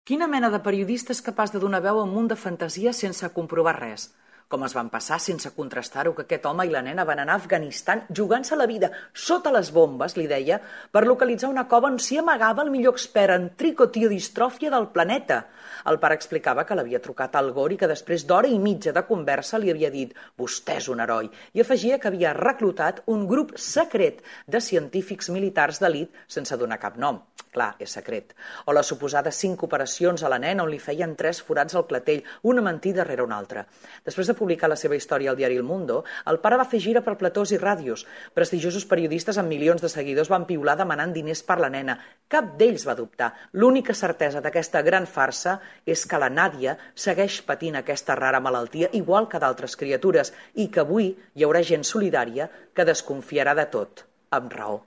Quina mena de periodista és capaç de donar veu a un munt de fantasia sense comprovar res? Com es van passar sense contrastar-ho que aquest home i la nena van anar a Afganistan jugant-se la vida sota les bombes, li deia, per localitzar una cova on s'hi amagava el millor expert en tricotiodistròfia del planeta. El pare explicava que l'havia trucat al Gore i que després d'hora i mitja de conversa li havia dit «Vostè és un heroi» i afegia que havia reclutat un grup secret de científics militars d'elit sense donar cap nom. Clar, és secret. O les suposades 5 operacions a la nena on li feien 3 forats al clatell, una mentida darrere una altra. Després de publicar la seva història al diari El Mundo, el pare va fer gira per platós i ràdios. Prestigiosos periodistes amb milions de seguidors van piular demanant diners per la nena. Cap d'ells va dubtar. L'única certesa d'aquesta gran farsa és que la Nàdia segueix patint aquesta rara malaltia igual que d'altres criatures i que avui hi haurà gent solidària que desconfiarà de tot, amb raó.